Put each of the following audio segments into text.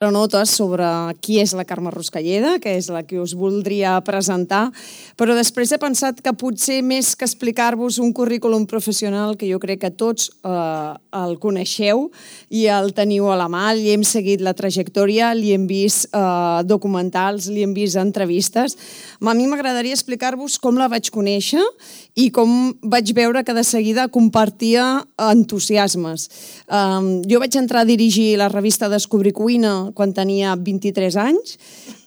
notes sobre qui és la Carme Ruscalleda, que és la que us voldria presentar, però després he pensat que potser més que explicar-vos un currículum professional, que jo crec que tots el coneixeu i el teniu a la mà, li hem seguit la trajectòria, li hem vist documentals, li hem vist entrevistes. A mi m'agradaria explicar-vos com la vaig conèixer i com vaig veure que de seguida compartia entusiasmes. Jo vaig entrar a dirigir la revista Descobrir Cuina quan tenia 23 anys.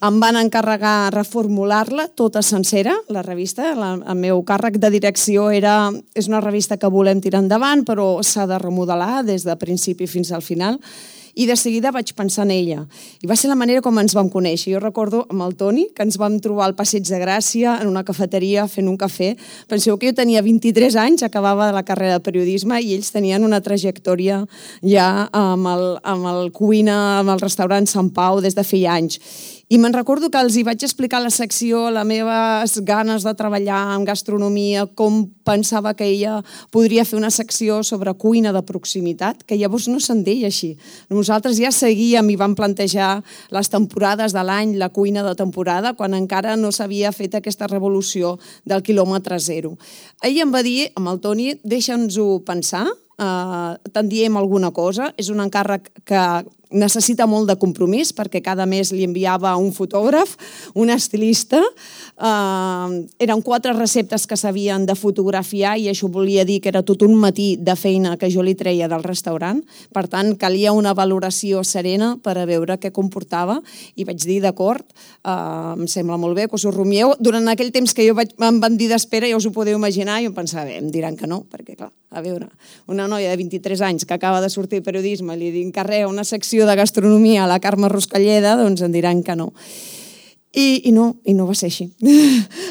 Em van encarregar reformular-la tota sencera, la revista. El meu càrrec de direcció és una revista que volem tirar endavant, però s'ha de remodelar des del principi fins al final. I de seguida vaig pensar en ella. I va ser la manera com ens vam conèixer. Jo recordo amb el Toni, que ens vam trobar al Passeig de Gràcia, en una cafeteria, fent un cafè. Penseu que jo tenia 23 anys, acabava la carrera de periodisme, i ells tenien una trajectòria ja amb el cuina, amb el restaurant Sant Pau, des de feia anys. I me'n recordo que els hi vaig explicar a la secció les meves ganes de treballar en gastronomia, com pensava que ella podria fer una secció sobre cuina de proximitat, que llavors no se'n deia així. Nosaltres ja seguíem i vam plantejar les temporades de l'any, la cuina de temporada, quan encara no s'havia fet aquesta revolució del quilòmetre zero. Ell em va dir, amb el Toni, deixa'ns-ho pensar, te'n diem alguna cosa, és un encàrrec que necessita molt de compromís perquè cada mes li enviava un fotògraf, un estilista. Eren 4 receptes que s'havien de fotografiar i això volia dir que era tot un matí de feina que jo li treia del restaurant. Per tant, calia una valoració serena per a veure què comportava i vaig dir, d'acord, em sembla molt bé que us ho rumieu. Durant aquell temps que em van dir d'espera, ja us ho podeu imaginar, jo em pensava, em diran que no, perquè clar, a veure, una noia de 23 anys que acaba de sortir de periodisme li encarrega una secció de gastronomia a la Carme Ruscalleda, doncs em diran que no. I no va ser així.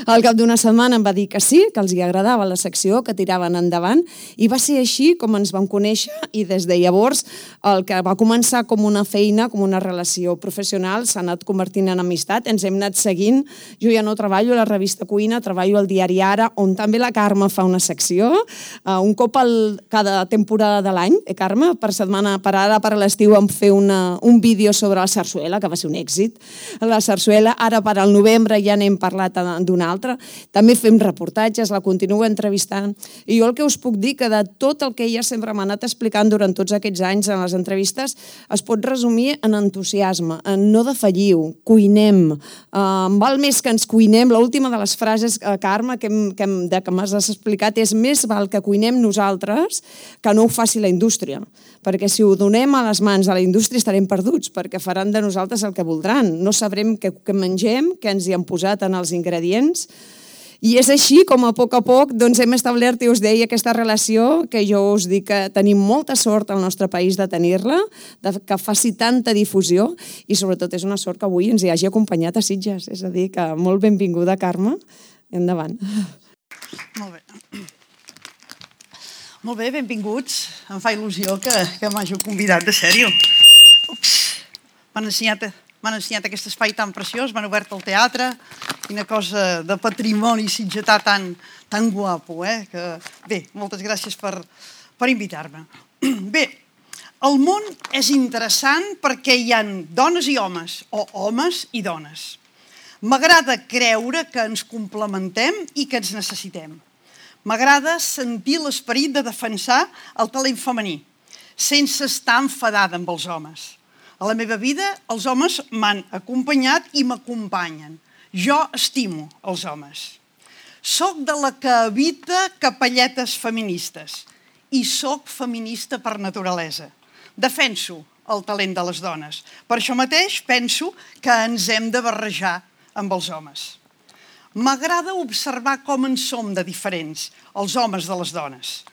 Al cap d'una setmana em va dir que sí, que els hi agradava la secció, que tiraven endavant, i va ser així com ens vam conèixer, i des de llavors el que va començar com una feina, com una relació professional, s'ha anat convertint en amistat, ens hem anat seguint. Jo ja no treballo a la revista Cuina, treballo al diari Ara, on també la Carme fa una secció, un cop cada temporada de l'any. Carme, per ara, per l'estiu, vam fer un vídeo sobre la sarsuela, que va ser un èxit. La sarsuela, ara per al novembre ja n'hem parlat d'una altra. També fem reportatges, la continuo entrevistant. I jo el que us puc dir que de tot el que ella sempre m'ha anat explicant durant tots aquests anys en les entrevistes es pot resumir en entusiasme, en no defalliu, cuinem. Val més que ens cuinem. L'última de les frases, Carme, que m'has explicat és més val que cuinem nosaltres que no ho faci la indústria. Perquè si ho donem a les mans de la indústria estarem perduts, perquè faran de nosaltres el que voldran. No sabrem què mengem, què ens hi han posat en els ingredients. I és així com a poc hem establert, i us deia, aquesta relació que jo us dic que tenim molta sort al nostre país de tenir-la, que faci tanta difusió i sobretot és una sort que avui ens hi hagi acompanyat a Sitges. És a dir, que molt benvinguda, Carme. Endavant. Molt bé. Molt bé, benvinguts. Em fa il·lusió que m'hàgiu convidat, de sèrio. M'han ensenyat aquest espai tan preciós, m'han obert el teatre, quina cosa de patrimoni sitgetà tan guapo. Bé, moltes gràcies per invitar-me. Bé, el món és interessant perquè hi ha dones i homes, o homes i dones. M'agrada creure que ens complementem i que ens necessitem. M'agrada sentir l'esperit de defensar el talent femení, sense estar enfadada amb els homes. A la meva vida, els homes m'han acompanyat i m'acompanyen. Jo estimo els homes. Soc de la que evita capelletes feministes i soc feminista per naturalesa. Defenso el talent de les dones. Per això mateix penso que ens hem de barrejar amb els homes. M'agrada observar com en som de diferents, els homes de les dones.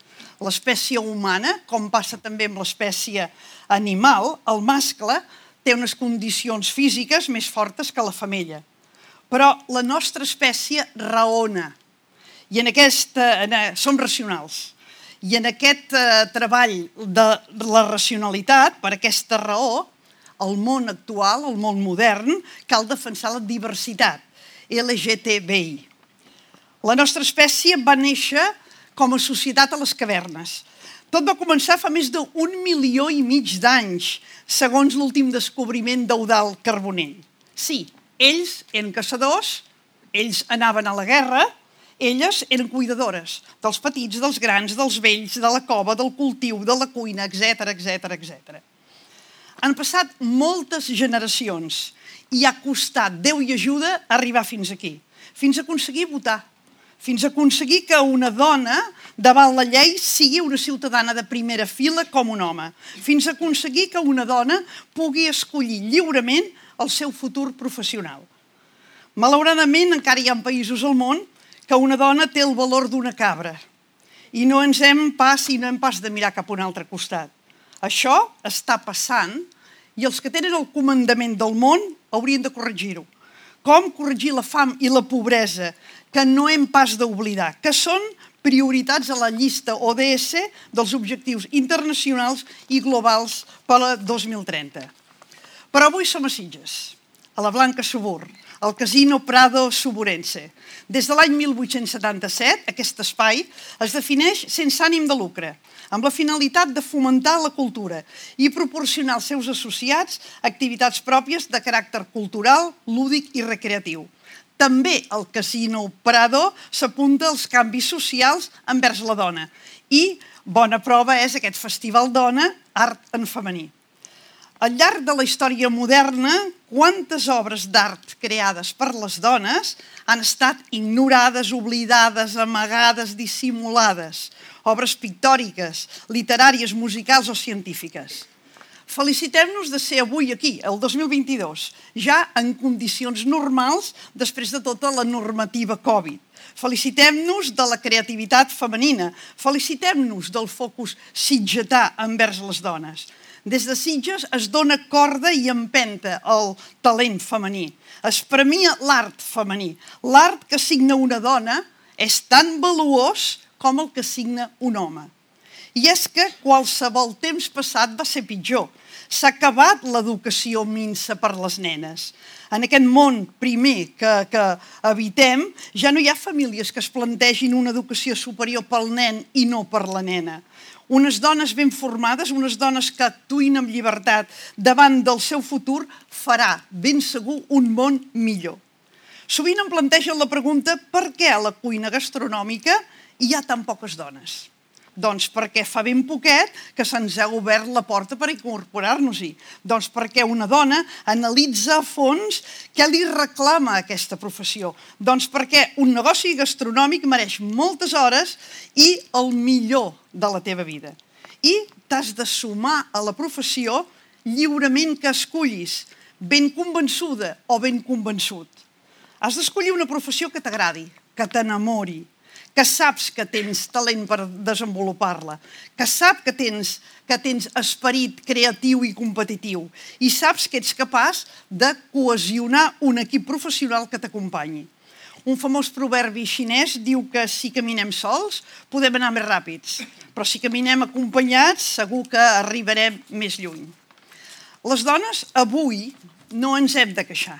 L'espècie humana, com passa també amb l'espècie animal, el mascle té unes condicions físiques més fortes que la femella. Però la nostra espècie raona. I som racionals. I en aquest treball de la racionalitat, per aquesta raó, al món actual, al món modern, cal defensar la diversitat. LGTBI. La nostra espècie va néixer com a societat a les cavernes. Tot va començar fa més d'1,5 milió d'anys, segons l'últim descobriment d'Eudald Carbonell. Sí, ells eren caçadors, ells anaven a la guerra, elles eren cuidadores dels petits, dels grans, dels vells, de la cova, del cultiu, de la cuina, etc. Han passat moltes generacions i ha costat, Déu i ajuda, arribar fins aquí, fins a aconseguir votar, fins a aconseguir que una dona davant la llei sigui una ciutadana de primera fila com un home, fins a aconseguir que una dona pugui escollir lliurement el seu futur professional. Malauradament, encara hi ha països al món que una dona té el valor d'una cabra i no hem pas de mirar cap a un altre costat. Això està passant i els que tenen el comandament del món haurien de corregir-ho. Com corregir la fam i la pobresa, que no hem pas d'oblidar, que són prioritats a la llista ODS dels objectius internacionals i globals per a 2030. Però avui som a Sitges, a la Blanca Subur, al Casino Prado Suburense. Des de l'any 1877, aquest espai es defineix sense ànim de lucre, amb la finalitat de fomentar la cultura i proporcionar als seus associats activitats pròpies de caràcter cultural, lúdic i recreatiu. També el Casino Prado s'apunta als canvis socials envers la dona i bona prova és aquest Festival Dona, Art en Femení. Al llarg de la història moderna, quantes obres d'art creades per les dones han estat ignorades, oblidades, amagades, dissimulades? Obres pictòriques, literàries, musicals o científiques. Felicitem-nos de ser avui aquí, el 2022, ja en condicions normals després de tota la normativa Covid. Felicitem-nos de la creativitat femenina, felicitem-nos del focus sitgetà envers les dones. Des de Sitges es dona corda i empenta al talent femení. Es premia l'art femení. L'art que signa una dona és tan valuós com el que signa un home. I és que qualsevol temps passat va ser pitjor. S'ha acabat l'educació minsa per les nenes. En aquest món primer que habitem, ja no hi ha famílies que es plantegin una educació superior pel nen i no per la nena. Unes dones ben formades, unes dones que actuïn amb llibertat davant del seu futur, farà ben segur un món millor. Sovint em plantegen la pregunta per què a la cuina gastronòmica hi ha tan poques dones? Doncs perquè fa ben poquet que se'ns ha obert la porta per incorporar-nos-hi. Doncs perquè una dona analitza a fons què li reclama aquesta professió. Doncs perquè un negoci gastronòmic mereix moltes hores i el millor de la teva vida. I t'has de sumar a la professió lliurement que escollis, ben convençuda o ben convençut. Has d'escollir una professió que t'agradi, que t'enamori, que saps que tens talent per desenvolupar-la, que saps que tens esperit creatiu i competitiu i saps que ets capaç de cohesionar un equip professional que t'acompanyi. Un famós proverbi xinès diu que si caminem sols podem anar més ràpids, però si caminem acompanyats segur que arribarem més lluny. Les dones avui no ens hem de queixar.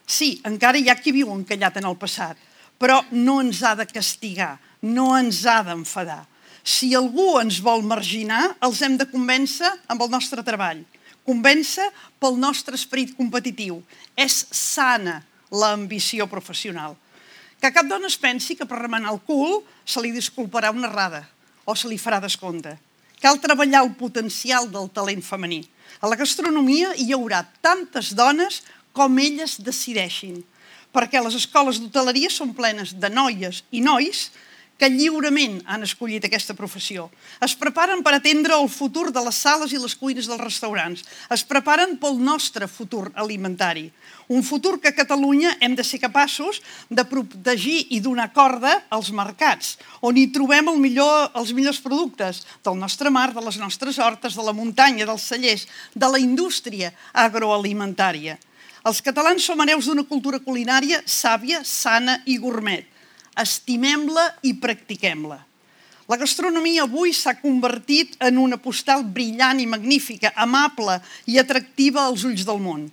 Sí, encara hi ha qui viu encallat en el passat, però no ens ha de castigar, no ens ha d'enfadar. Si algú ens vol marginar, els hem de convèncer amb el nostre treball, convèncer pel nostre esperit competitiu. És sana l'ambició professional. Que cap dona es pensi que per remenar el cul se li disculparà una errada o se li farà descompte. Cal treballar el potencial del talent femení. A la gastronomia hi haurà tantes dones com elles decideixin, perquè les escoles d'hoteleria són plenes de noies i nois que lliurement han escollit aquesta professió. Es preparen per atendre el futur de les sales i les cuines dels restaurants. Es preparen pel nostre futur alimentari. Un futur que a Catalunya hem de ser capaços de protegir i donar corda als mercats, on hi trobem els millors productes del nostre mar, de les nostres hortes, de la muntanya, dels cellers, de la indústria agroalimentària. Els catalans som hereus d'una cultura culinària sàvia, sana i gourmet. Estimem-la i practiquem-la. La gastronomia avui s'ha convertit en una postal brillant i magnífica, amable i atractiva als ulls del món.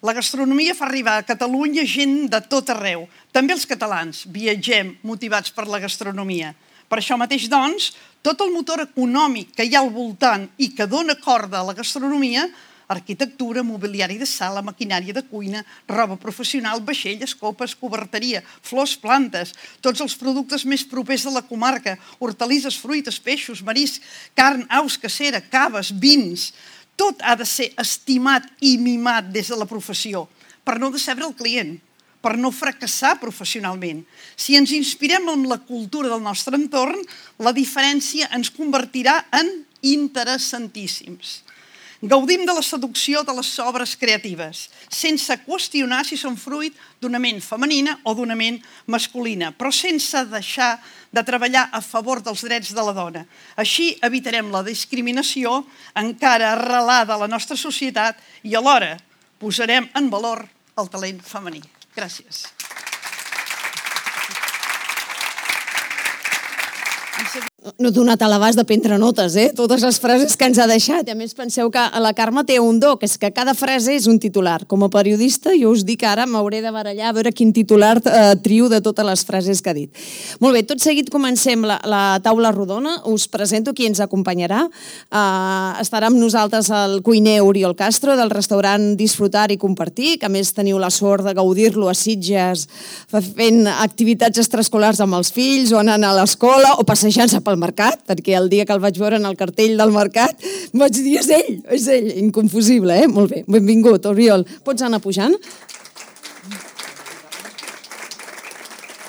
La gastronomia fa arribar a Catalunya gent de tot arreu. També els catalans viatgem motivats per la gastronomia. Per això mateix, doncs, tot el motor econòmic que hi ha al voltant i que dona corda a la gastronomia, arquitectura, mobiliari de sala, maquinària de cuina, roba professional, vaixelles, copes, coberteria, flors, plantes, tots els productes més propers de la comarca, hortalisses, fruites, peixos, marisc, carn, aus, cacera, caves, vins. Tot ha de ser estimat i mimat des de la professió per no decebre el client, per no fracassar professionalment. Si ens inspirem en la cultura del nostre entorn, la diferència ens convertirà en interessantíssims. Gaudim de la seducció de les obres creatives, sense qüestionar si són fruit d'una ment femenina o d'una ment masculina, però sense deixar de treballar a favor dels drets de la dona. Així evitarem la discriminació encara arrelada a la nostra societat i alhora posarem en valor el talent femení. Gràcies. No he donat a l'abast de prendre notes, totes les frases que ens ha deixat. I a més penseu que la Carme té un do, que és que cada frase és un titular. Com a periodista, jo us dic que ara m'hauré de barallar a veure quin titular trio de totes les frases que ha dit. Molt bé, tot seguit comencem la taula rodona. Us presento qui ens acompanyarà. Estarà amb nosaltres el cuiner Oriol Castro, del restaurant Disfrutar i Compartir, que a més teniu la sort de gaudir-lo a Sitges fent activitats extraescolars amb els fills o anant a l'escola o passejant-se pel mercat, perquè el dia que el vaig veure en el cartell del mercat vaig dir, és ell, inconfusible, Molt bé, benvingut, Oriol. Pots anar pujant?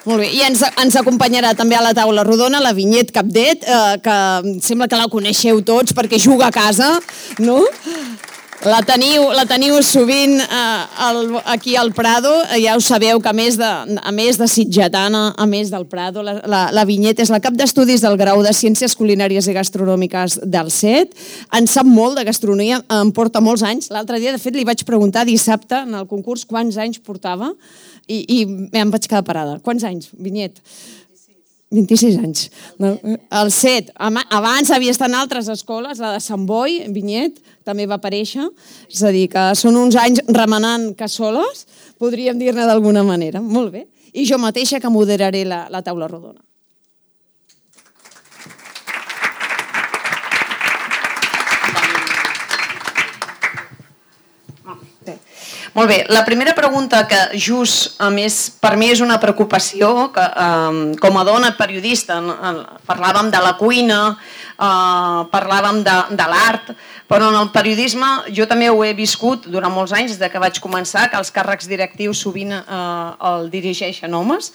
Molt bé, i ens acompanyarà també a la taula rodona la Vinyet Capdet, que sembla que la coneixeu tots perquè juga a casa, no? La teniu sovint aquí al Prado, ja ho sabeu que a més de sitgetana, a més del Prado, la Vinyet és la cap d'estudis del grau de Ciències Culinàries i Gastronòmiques del CET, en sap molt de gastronomia, en porta molts anys. L'altre dia, de fet, li vaig preguntar dissabte en el concurs quants anys portava i em vaig quedar parada. Quants anys, Vinyet? 26 anys. El CET, abans havia estat en altres escoles, la de Sant Boi, Vinyet, també va aparèixer, és a dir, que són uns anys remenant cassoles, podríem dir-ne d'alguna manera. Molt bé. I jo mateixa que moderaré la taula rodona. Molt bé, la primera pregunta que just, a més, per mi és una preocupació, que com a dona periodista parlàvem de la cuina, parlàvem de l'art, però en el periodisme jo també ho he viscut durant molts anys, des que vaig començar, que els càrrecs directius sovint el dirigeixen homes.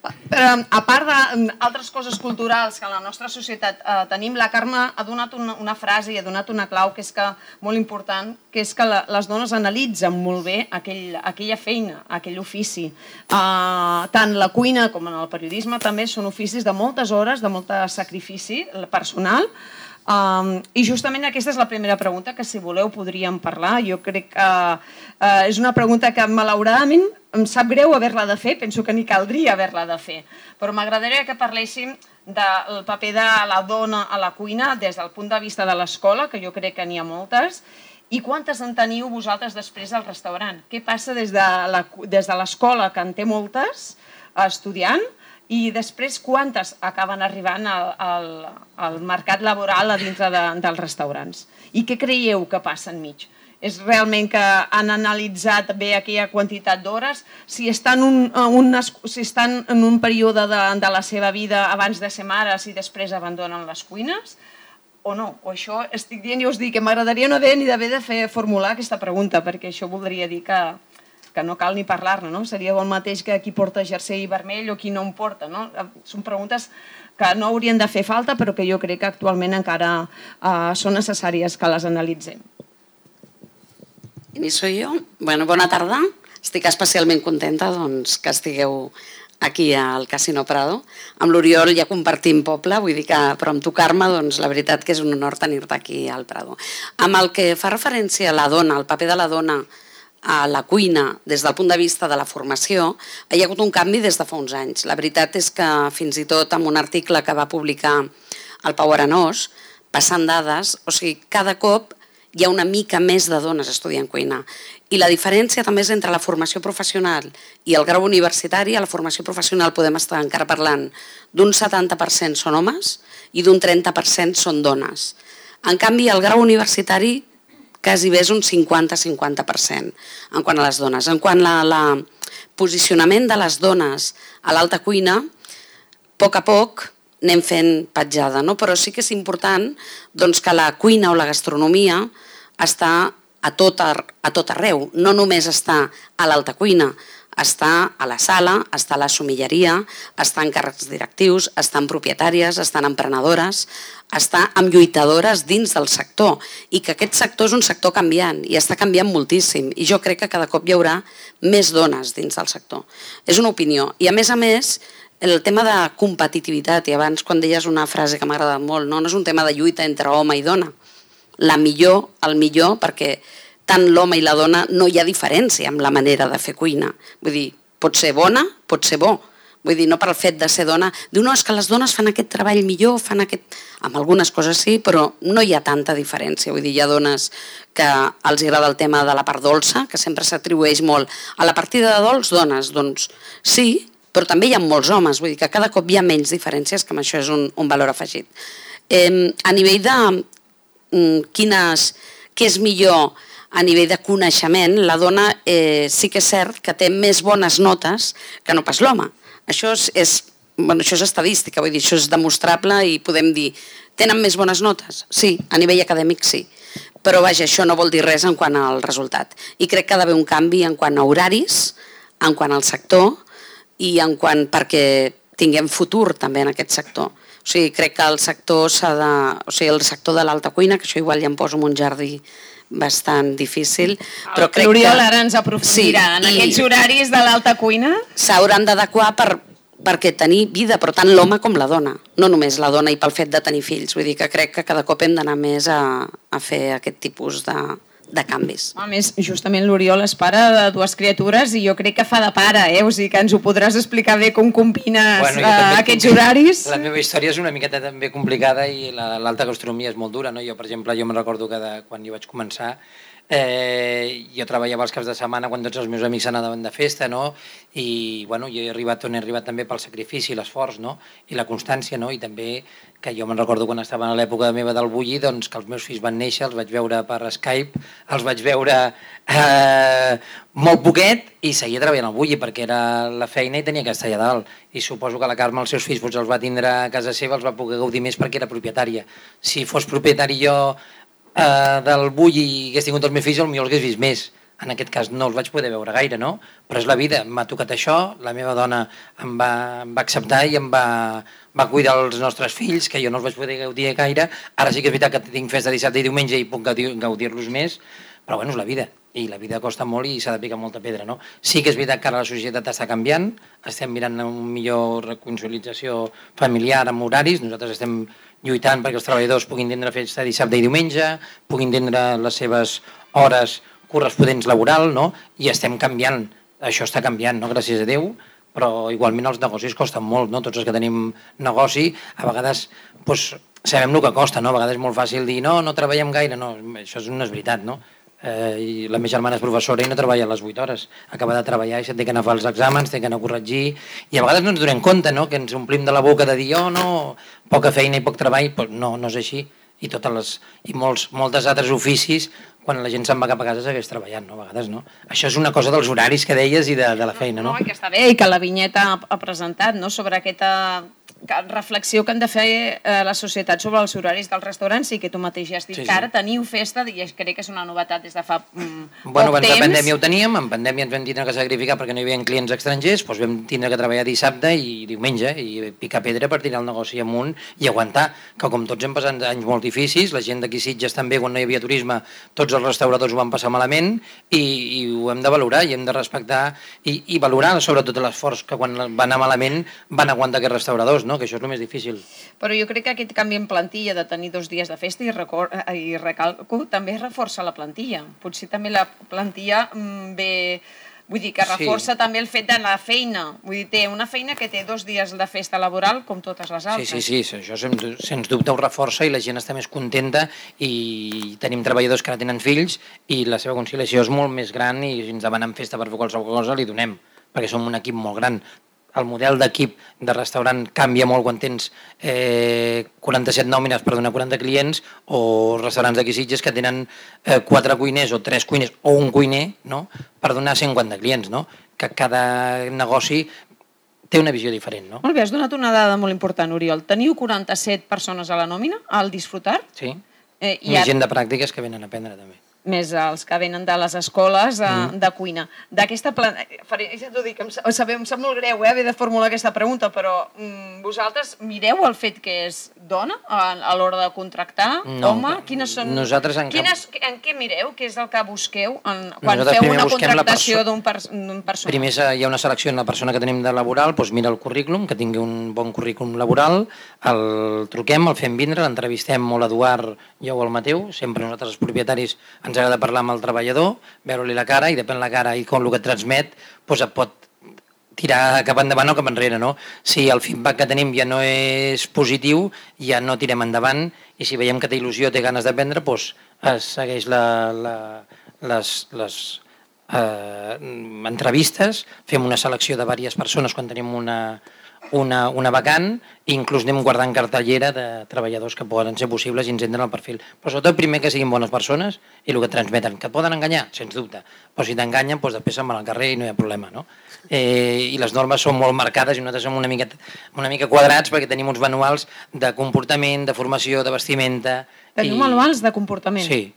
A part d'altres coses culturals que en la nostra societat tenim, la Carme ha donat una frase i ha donat una clau que és molt important, que és que les dones analitzen molt bé aquella feina, aquell ofici. Tant la cuina com en el periodisme també són oficis de moltes hores, de molt sacrifici personal. I justament aquesta és la primera pregunta que, si voleu, podríem parlar. Jo crec que és una pregunta que malauradament em sap greu haver-la de fer, penso que ni caldria haver-la de fer, però m'agradaria que parléssim del paper de la dona a la cuina des del punt de vista de l'escola, que jo crec que n'hi ha moltes, i quantes en teniu vosaltres després al restaurant? Què passa des de l'escola, que en té moltes, estudiant, i després quantes acaben arribant al mercat laboral a dintre dels restaurants? I què creieu que passa enmig? És realment que han analitzat bé aquella quantitat d'hores? Si estan en un període de la seva vida abans de ser mares i després abandonen les cuines? O no? O això estic dient i us dic que m'agradaria no haver ni d'haver de formular aquesta pregunta, perquè això voldria dir que no cal ni parlar-ne, no? Seria el mateix que qui porta jersei vermell o qui no en porta, no? Són preguntes que no haurien de fer falta, però que jo crec que actualment encara són necessàries que les analitzem. Inicio jo. Bona tarda. Estic especialment contenta que estigueu aquí al Casino Prado. Amb l'Oriol ja compartim poble, vull dir que, però amb tu, Carme, la veritat que és un honor tenir-te aquí al Prado. Amb el que fa referència a la dona, al paper de la dona a la cuina des del punt de vista de la formació, hi ha hagut un canvi des de fa uns anys. La veritat és que fins i tot amb un article que va publicar el Pau Arenós, passant dades, o sigui, cada cop hi ha una mica més de dones estudiant cuina. I la diferència també és entre la formació professional i el grau universitari. A la formació professional podem estar encara parlant d'un 70% són homes i d'un 30% són dones. En canvi, el grau universitari quasi bé és un 50-50% en quant a les dones. En quant al posicionament de les dones a l'alta cuina, a poc anem fent petjada, no? Però sí que és important que la cuina o la gastronomia està a tot arreu, no només està a l'alta cuina, està a la sala, està a la somilleria, està en càrrecs directius, està en propietàries, està en emprenedores, està en lluitadores dins del sector i que aquest sector és un sector canviant i està canviant moltíssim i jo crec que cada cop hi haurà més dones dins del sector. És una opinió i a més, el tema de competitivitat, i abans quan deies una frase que m'ha agradat molt, no és un tema de lluita entre home i dona, el millor, perquè tant l'home i la dona no hi ha diferència amb la manera de fer cuina. Vull dir, pot ser bona, pot ser bo. Vull dir, no per el fet de ser dona. Diu, no, és que les dones fan aquest treball millor, fan aquest... Amb algunes coses sí, però no hi ha tanta diferència. Vull dir, hi ha dones que els agrada el tema de la part dolça, que sempre s'atribueix molt. A la partida de dolç, dones, doncs sí, però també hi ha molts homes. Vull dir que cada cop hi ha menys diferències, que això és un valor afegit. A nivell de què és millor a nivell de coneixement, la dona sí que és cert que té més bones notes que no pas l'home. Això és estadística, vull dir, això és demostrable i podem dir, tenen més bones notes? Sí, a nivell acadèmic sí. Però vaja, això no vol dir res en quant al resultat. I crec que ha d'haver un canvi en quant a horaris, en quant al sector i en quant perquè tinguem futur també en aquest sector. O sigui, crec que el sector el sector de l'alta cuina, que això igual ja em poso en un jardí bastant difícil, però crec que... L'Oriol ara ens aprofundirà en aquests horaris de l'alta cuina. S'hauran d'adequar perquè tenir vida, però tant l'home com la dona, no només la dona i pel fet de tenir fills. Vull dir que crec que cada cop hem d'anar més a fer aquest tipus de canvis. A més, justament l'Oriol és pare de dues criatures i jo crec que fa de pare, o sigui que ens ho podràs explicar bé com combines aquests horaris. La meva història és una miqueta també complicada i l'alta gastronomia és molt dura, no? Jo, per exemple, me'n recordo que quan jo vaig començar jo treballava els caps de setmana quan tots els meus amics anaven de festa, no? I bueno, jo he arribat on he arribat també pel sacrifici, l'esforç, no? I la constància, no? I també que jo me'n recordo quan estava a l'època meva del bulli, doncs que els meus fills van néixer, els vaig veure per Skype, els vaig veure molt poquet i seguia treballant al bulli perquè era la feina i tenia que estar allà dalt. I suposo que la Carme els seus fills els va tindre a casa seva, els va poder gaudir més perquè era propietària. Si fos propietari jo del bulli i hagués tingut els meus fills, potser els hagués vist més. En aquest cas no els vaig poder veure gaire, no? Però és la vida, m'ha tocat això, la meva dona em va acceptar i em va cuidar els nostres fills, que jo no els vaig poder gaudir gaire. Ara sí que és veritat que tinc festa dissabte i diumenge i puc gaudir-los més, però bueno, és la vida. I la vida costa molt i s'ha de picar molta pedra, no? Sí que és veritat que ara la societat està canviant, estem mirant una millor reconciliació familiar amb horaris, nosaltres estem lluitant perquè els treballadors puguin tindre festa dissabte i diumenge, puguin tindre les seves hores corresponents laboral, no? I estem canviant, això està canviant, no? Gràcies a Déu, però igualment els negocis costen molt, no? Tots els que tenim negoci, a vegades doncs, sabem el que costa, no? A vegades és molt fàcil dir no treballem gaire, no, això no és veritat, no? I la meva germana és professora i no treballa a les 8 hores, acaba de treballar i se'n té que anar a fer els exàmens, té que anar a corregir i a vegades no ens donem compte, no? Que ens omplim de la boca de dir no, poca feina i poc treball, però no és així i moltes altres oficis quan la gent se'n va cap a casa segueix treballant, no? A vegades no. Això és una cosa dels horaris que deies i de la feina, no? No, i que està bé i que la vinyeta ha presentat, no?, sobre aquesta reflexió que han de fer la societat sobre els horaris dels restaurants i que tu mateix ja has dit que ara teniu festa i crec que és una novetat des de fa poc temps. Abans de pandèmia ho teníem, en pandèmia ens vam tindre que sacrificar perquè no hi havia clients estrangers, doncs vam tindre que treballar dissabte i diumenge i picar pedra per tirar el negoci amunt i aguantar, que com tots hem passat anys molt difícils, la gent d'aquí Sitges també quan no hi havia turisme, tots els restauradors ho van passar malament i ho hem de valorar i hem de respectar i valorar sobretot l'esforç que quan va anar malament van aguantar aquests restauradors, no? Que això és el més difícil. Però jo crec que aquest canvi en plantilla de tenir 2 dies de festa i recalco també reforça la plantilla. Potser també la plantilla ve Vull dir que reforça també el fet de la feina. Vull dir, té una feina que té 2 dies de festa laboral com totes les altres. Sí, això sens dubte ho reforça i la gent està més contenta i tenim treballadors que ara tenen fills i la seva conciliació és molt més gran i si ens demanen festa per fer qualsevol cosa li donem, perquè som un equip molt gran. El model d'equip de restaurant canvia molt quan tens 47 nòmines per donar 40 clients o restaurants d'aquí Sitges que tenen 4 cuiners o 3 cuiners o un cuiner, no?, per donar 150 clients, no? Que cada negoci té una visió diferent, no? Molt bé, has donat una dada molt important, Oriol. Teniu 47 persones a la nòmina, al Disfrutar? Sí, i gent de pràctiques que venen a aprendre també. Més els que venen de les escoles de cuina. D'aquesta ja t'ho dic, em sap molt greu haver de formular aquesta pregunta, però vosaltres mireu el fet que és dona a l'hora de contractar, home? Quines són... Nosaltres en què mireu? Què és el que busqueu quan feu una contractació d'un personal? Primer hi ha una selecció en la persona que tenim de laboral, doncs mira el currículum, que tingui un bon currículum laboral, el truquem, el fem vindre, l'entrevistem o l'Eduard, jo o el Mateu, sempre nosaltres els propietaris ens agrada parlar amb el treballador, veure-li la cara i depèn la cara i com el que transmet doncs et pot tirar cap endavant o cap enrere, no? Si el feedback que tenim ja no és positiu, ja no tirem endavant i si veiem que té il·lusió, té ganes d'aprendre, doncs es segueix les entrevistes, fem una selecció de diverses persones quan tenim una vacant i inclús anem guardant cartellera de treballadors que poden ser possibles i ens entren al perfil. Però sobretot primer que siguin bones persones i el que transmeten. Que et poden enganyar? Sens dubte. Però si t'enganyen, doncs després se'n van al carrer i no hi ha problema, no? I les normes són molt marcades i nosaltres som una mica quadrats perquè tenim uns manuals de comportament, de formació, de vestimenta... Teniu manuals de comportament? Sí.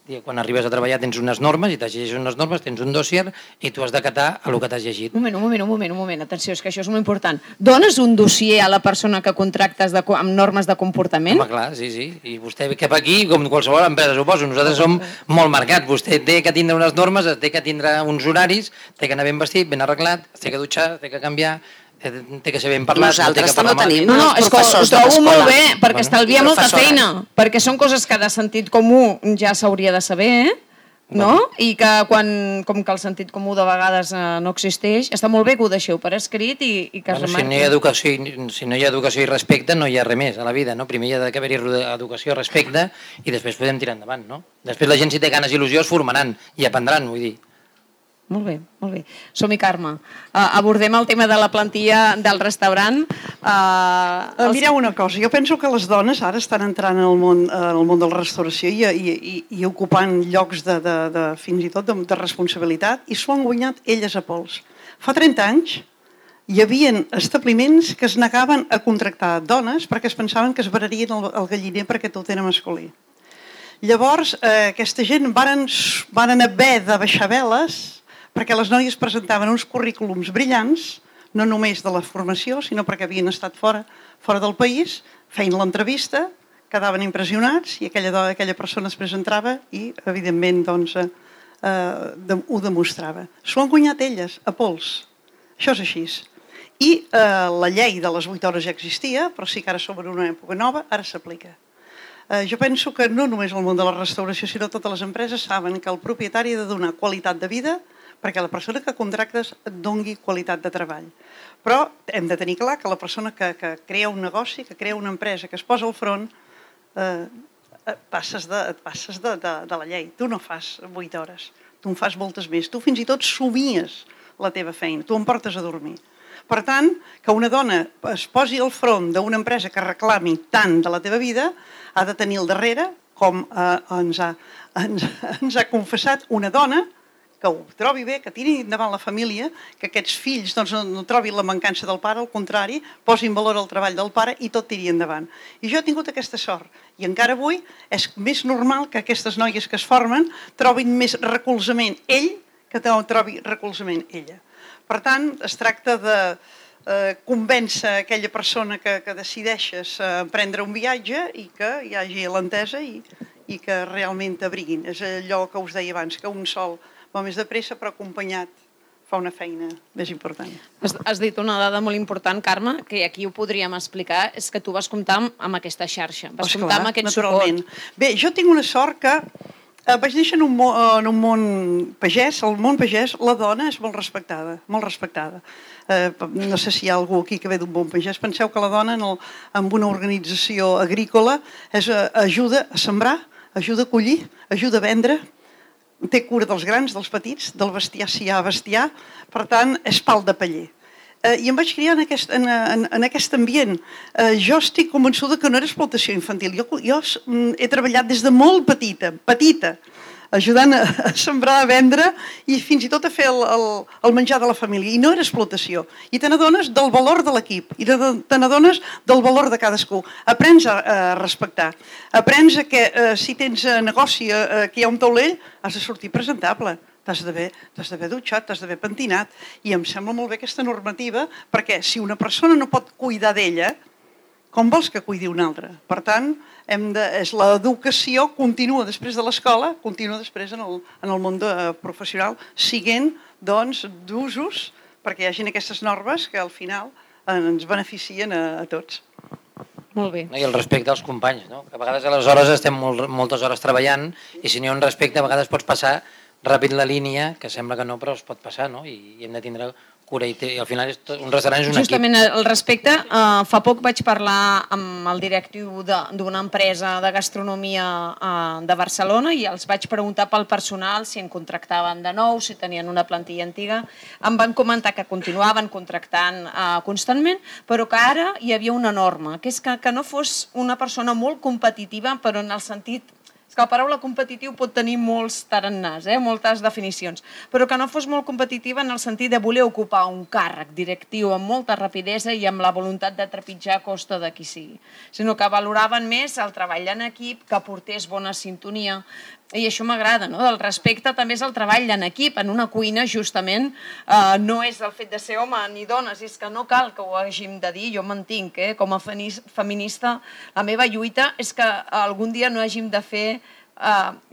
Quan arribes a treballar tens unes normes i t'has llegit unes normes, tens un dossier i tu has d'acatar el que t'has llegit. Un moment, atenció, és que això és molt important. Dones un dossier a la persona que contractes amb normes de comportament? Home, clar, sí. I vostè ve cap aquí, com qualsevol empresa, suposo. Nosaltres som molt marcats. Vostè té que tindre unes normes, té que tindre uns horaris, té que anar ben vestit, ben arreglat, té que dutxar, té que canviar... té que ser ben parlat. Nosaltres també tenim els professors de l'escola. Ho trobo molt bé, perquè estalvia molta feina, perquè són coses que de sentit comú ja s'hauria de saber, no? I que com que el sentit comú de vegades no existeix, està molt bé que ho deixeu per escrit i que es remarqui. Si no hi ha educació i respecte, no hi ha res més a la vida, no? Primer hi ha d'haver-hi educació i respecte i després podem tirar endavant, no? Després la gent, si té ganes i il·lusió, es formaran i aprendran, vull dir. Molt bé. Som-hi, Carme. Abordem el tema de la plantilla del restaurant. Mireu una cosa, jo penso que les dones ara estan entrant en el món de la restauració i ocupant llocs fins i tot de responsabilitat i s'ho han guanyat elles a pols. Fa 30 anys hi havia establiments que es negaven a contractar dones perquè es pensaven que es bararien el galliner perquè tot era masculí. Llavors, aquesta gent varen haver de baixar veles perquè les noies presentaven uns currículums brillants, no només de la formació, sinó perquè havien estat fora del país, feien l'entrevista, quedaven impressionats i aquella persona després entrava i, evidentment, ho demostrava. S'ho han guanyat elles, a pols. Això és així. I la llei de les 8 hores ja existia, però sí que ara som en una època nova, ara s'aplica. Jo penso que no només el món de la restauració, sinó totes les empreses saben que el propietari ha de donar qualitat de vida perquè la persona que contractes et doni qualitat de treball. Però hem de tenir clar que la persona que crea un negoci, que crea una empresa, que es posa al front, et passes de la llei. Tu no fas 8 hores, tu en fas moltes més. Tu fins i tot somies la teva feina, tu em portes a dormir. Per tant, que una dona es posi al front d'una empresa que reclami tant de la teva vida, ha de tenir al darrere, com ens ha confessat una dona, que ho trobi bé, que tiri endavant la família, que aquests fills no trobin la mancança del pare, al contrari, posin valor al treball del pare i tot tiri endavant. I jo he tingut aquesta sort. I encara avui és més normal que aquestes noies que es formen trobin més recolzament ell que trobi recolzament ella. Per tant, es tracta de convèncer aquella persona que decideixes prendre un viatge i que hi hagi l'entesa i que realment t'abriguin. És allò que us deia abans, que un sol va més de pressa, però acompanyat fa una feina més important. Has dit una dada molt important, Carme, que aquí ho podríem explicar, és que tu vas comptar amb aquesta xarxa, vas comptar amb aquest suport. Bé, jo tinc una sort que Vaig néixer en un món pagès. Al món pagès la dona és molt respectada, molt respectada. No sé si hi ha algú aquí que ve d'un món pagès. Penseu que la dona en una organització agrícola ajuda a sembrar, ajuda a collir, ajuda a vendre, té cura dels grans, dels petits, del bestiar si hi ha bestiar, per tant és pal de paller. I em vaig criar en aquest ambient. Jo estic convençuda que no era explotació infantil. Jo he treballat des de molt petita, ajudant a sembrar, a vendre i fins i tot a fer el menjar de la família. I no era explotació. I te n'adones del valor de l'equip i te n'adones del valor de cadascú. Aprens a respectar. Aprens que si tens negoci, que hi ha un taulell, has de sortir presentable. T'has d'haver dutxat, t'has d'haver pentinat. I em sembla molt bé aquesta normativa, perquè si una persona no pot cuidar d'ella, com vols que cuidi una altra? Per tant, l'educació continua després de l'escola, continua després en el món professional, siguent d'usos perquè hi hagin aquestes normes que al final ens beneficien a tots. Molt bé. I el respecte als companys, no? Que a vegades a les hores estem moltes hores treballant i si no hi ha un respecte a vegades pots passar ràpid la línia, que sembla que no, però es pot passar, no? I hem de tindre cura i al final un restaurant és un equip. Justament al respecte, fa poc vaig parlar amb el directiu d'una empresa de gastronomia de Barcelona i els vaig preguntar pel personal si en contractaven de nou, si tenien una plantilla antiga. Em van comentar que continuaven contractant constantment, però que ara hi havia una norma, que és que no fos una persona molt competitiva, però en el sentit... És que la paraula competitiu pot tenir molts tarannàs, moltes definicions, però que no fos molt competitiva en el sentit de voler ocupar un càrrec directiu amb molta rapidesa i amb la voluntat de trepitjar a costa de qui sigui, sinó que valoraven més el treball en equip, que aportés bona sintonia, i això m'agrada, no? El respecte també és el treball en equip. En una cuina, justament, no és el fet de ser home ni dones, és que no cal que ho hàgim de dir, jo mantinc, com a feminista, la meva lluita és que algun dia no hàgim de fer,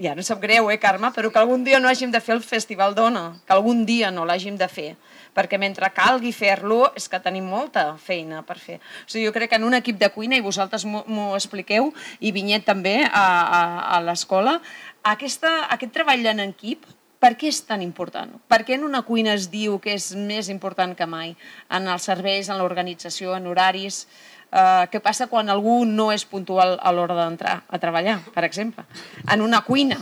ja no sap greu, Carme, però que algun dia no hàgim de fer el Festival Dona, que algun dia no l'hàgim de fer, perquè mentre calgui fer-lo és que tenim molta feina per fer. O sigui, jo crec que en un equip de cuina, i vosaltres m'ho expliqueu, i Vinyet també a l'escola, aquest treball en equip, per què és tan important? Per què en una cuina es diu que és més important que mai? En els serveis, en l'organització, en horaris... Què passa quan algú no és puntual a l'hora d'entrar a treballar, per exemple? En una cuina.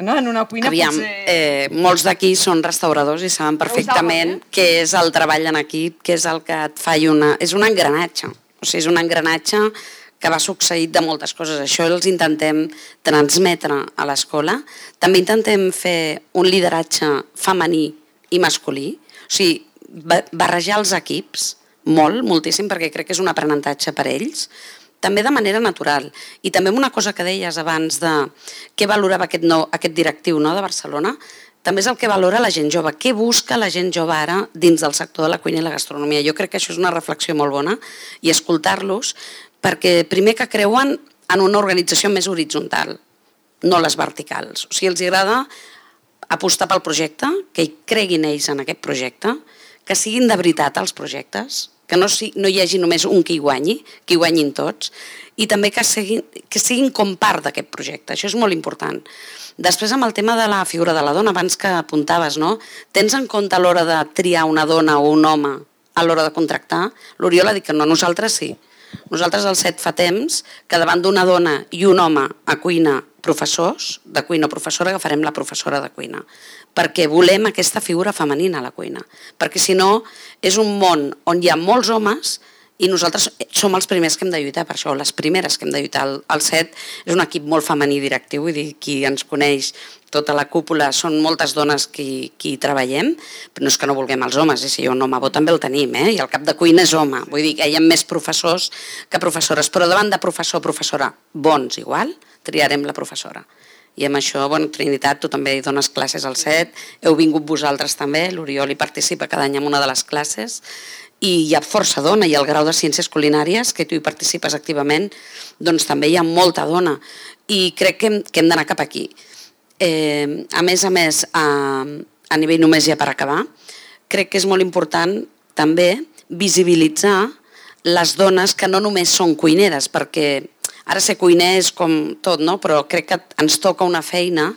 No? En una cuina potser... Molts d'aquí són restauradors i saben perfectament què és el treball en equip, què és el que et fa És un engranatge. O sigui, és un engranatge que va succeït de moltes coses. Això els intentem transmetre a l'escola. També intentem fer un lideratge femení i masculí. O sigui, barrejar els equips moltíssim, perquè crec que és un aprenentatge per ells, també de manera natural. I també una cosa que deies abans de què valorava aquest directiu de Barcelona, també és el que valora la gent jove. Què busca la gent jove ara dins del sector de la cuina i la gastronomia? Jo crec que això és una reflexió molt bona i escoltar-los, perquè primer que creuen en una organització més horitzontal, no les verticals. O sigui, els agrada apostar pel projecte, que hi creguin ells en aquest projecte, que siguin de veritat els projectes, que no hi hagi només un que hi guanyin tots, i també que siguin com part d'aquest projecte. Això és molt important. Després, amb el tema de la figura de la dona, abans que apuntaves, no? Tens en compte a l'hora de triar una dona o un home a l'hora de contractar? L'Oriol ha dit que no, nosaltres sí. Nosaltres al CET fa temps que davant d'una dona i un home a cuina professors, de cuina o professora, agafarem la professora de cuina, perquè volem aquesta figura femenina a la cuina, perquè si no és un món on hi ha molts homes i nosaltres som els primers que hem de lluitar per això, les primeres que hem de lluitar. El CET és un equip molt femení directiu, vull dir, qui ens coneix, tota la cúpula, són moltes dones qui hi treballem, però no és que no vulguem els homes, si hi ha un home bo també el tenim, i el cap de cuina és home, vull dir que hi ha més professors que professores, però davant de professor o professora bons igual, triarem la professora. I amb això, Trinitat, tu també hi dones classes al CET, heu vingut vosaltres també, l'Oriol hi participa cada any en una de les classes, i hi ha força dona, i el grau de Ciències Culinàries, que tu hi participes activament, doncs també hi ha molta dona, i crec que hem d'anar cap aquí. A més, a nivell només ja per acabar, crec que és molt important també visibilitzar les dones que no només són cuineres, perquè Ara ser cuiner és com tot, no? Però crec que ens toca una feina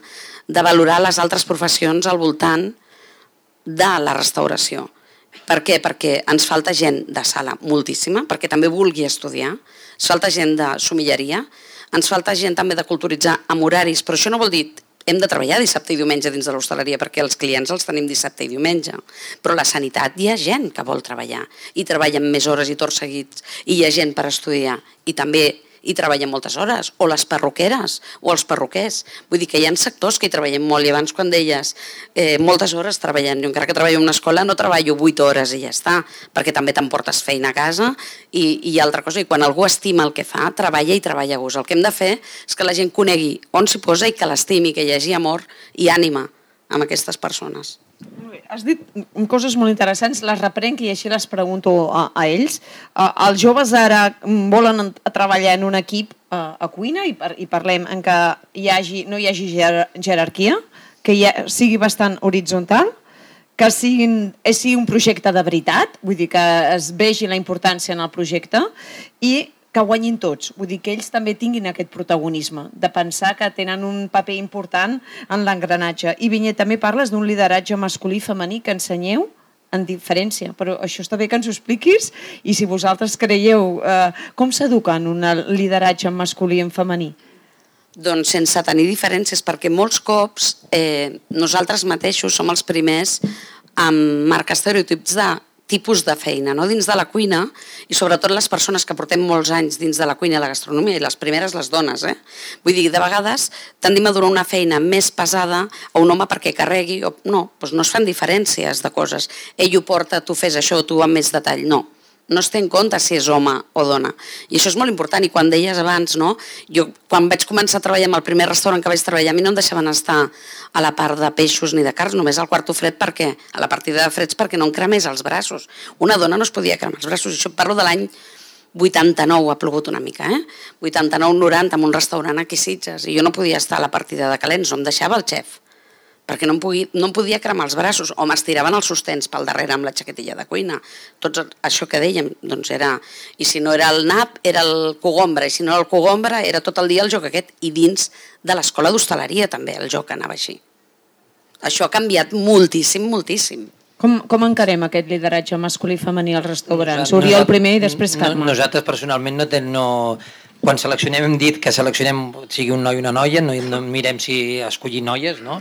de valorar les altres professions al voltant de la restauració. Per què? Perquè ens falta gent de sala moltíssima, perquè també vulgui estudiar, ens falta gent de somilleria, ens falta gent també de culturitzar amb horaris, però això no vol dir hem de treballar dissabte i diumenge dins de l'hostaleria perquè els clients els tenim dissabte i diumenge, però la sanitat hi ha gent que vol treballar i treballa més hores i torns seguits i hi ha gent per estudiar i també hi treballen moltes hores, o les perruqueres o els perruquers. Vull dir que hi ha sectors que hi treballem molt i abans quan deies moltes hores treballant, jo encara que treballo en una escola no treballo 8 hores i ja està, perquè també t'emportes feina a casa i altra cosa, i quan algú estima el que fa, treballa i treballa a gust. El que hem de fer és que la gent conegui on s'hi posa i que l'estimi, que hi hagi amor i ànima amb aquestes persones. Has dit coses molt interessants, les reprenc i així les pregunto a ells. Els joves ara volen treballar en un equip a cuina i parlem en què no hi hagi jerarquia, que sigui bastant horitzontal, que sigui un projecte de veritat, vull dir que es vegi la importància en el projecte i que guanyin tots, vull dir que ells també tinguin aquest protagonisme, de pensar que tenen un paper important en l'engranatge. I Vinyet, també parles d'un lideratge masculí i femení que ensenyeu en diferència, però això està bé que ens ho expliquis i si vosaltres creieu com s'educa en un lideratge masculí i en femení? Doncs sense tenir diferències, perquè molts cops nosaltres mateixos som els primers amb marcar estereotips de tipus de feina, no? Dins de la cuina, i sobretot les persones que portem molts anys dins de la cuina i la gastronomia, i les primeres les dones, Vull dir, de vegades tendim a donar una feina més pesada a un home perquè carregui, o no, doncs no es fan diferències de coses. Ell ho porta, tu fes això, tu amb més detall, no. No es té en compte si és home o dona. I això és molt important. I quan deies abans, no? Jo quan vaig començar a treballar en el primer restaurant que vaig treballar, a mi no em deixaven estar a la part de peixos ni de carns, només al quarto fred, perquè a la partida de freds perquè no em cremés els braços. Una dona no es podia cremar els braços. Això parlo de l'any 89, ha plogut una mica, 89-90, en un restaurant aquí a Sitges, i jo no podia estar a la partida de calents, no em deixava el xef, perquè no em podia cremar els braços, o m'estiraven els sostens pel darrere amb la xaquetilla de cuina. Tot això que dèiem, doncs era... I si no era el nap, era el cogombre, i si no era el cogombre, era tot el dia el joc aquest, i dins de l'escola d'hostaleria també el joc anava així. Això ha canviat moltíssim, moltíssim. Com encarem aquest lideratge masculí i femení als restaurants? Oriol primer i després Carme. Nosaltres personalment quan seleccionem hem dit que seleccionem sigui un noi o una noia, no mirem si escollir noies, no?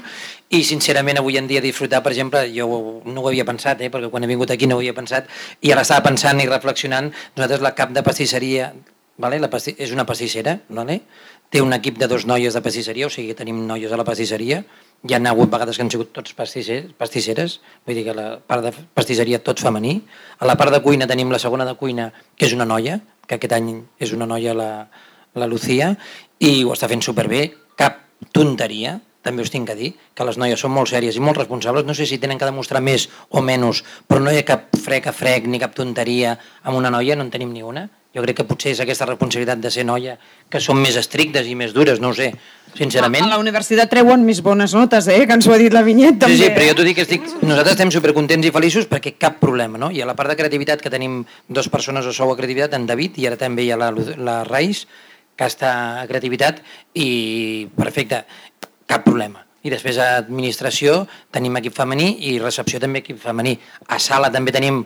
I sincerament avui en dia disfrutar, per exemple, jo no ho havia pensat, perquè quan he vingut aquí no ho havia pensat, i ara estava pensant i reflexionant, nosaltres la cap de pastisseria, és una pastissera, té un equip de 2 noies de pastisseria, o sigui que tenim noies a la pastisseria, hi ha hagut vegades que han sigut tots pastisseres, vull dir que la part de pastisseria tot femení, a la part de cuina tenim la segona de cuina, que és una noia, que aquest any és una noia, la Lucía, i ho està fent superbé, cap tonteria, també us tinc que dir, que les noies són molt sèries i molt responsables, no sé si tenen que demostrar més o menys, però no hi ha cap frec ni cap tonteria amb una noia, no en tenim ni una. Jo crec que potser és aquesta responsabilitat de ser noia, que són més estrictes i més dures, no ho sé, sincerament. A la universitat treuen més bones notes, que ens ho ha dit la Vinyet també. Sí, però jo t'ho dic, nosaltres estem supercontents i feliços perquè cap problema, no? I a la part de creativitat, que tenim 2 persones a sou a creativitat, en David, i ara també hi ha la Reis, que està a creativitat, i perfecte, cap problema. I després a administració tenim equip femení i recepció també equip femení. A sala també tenim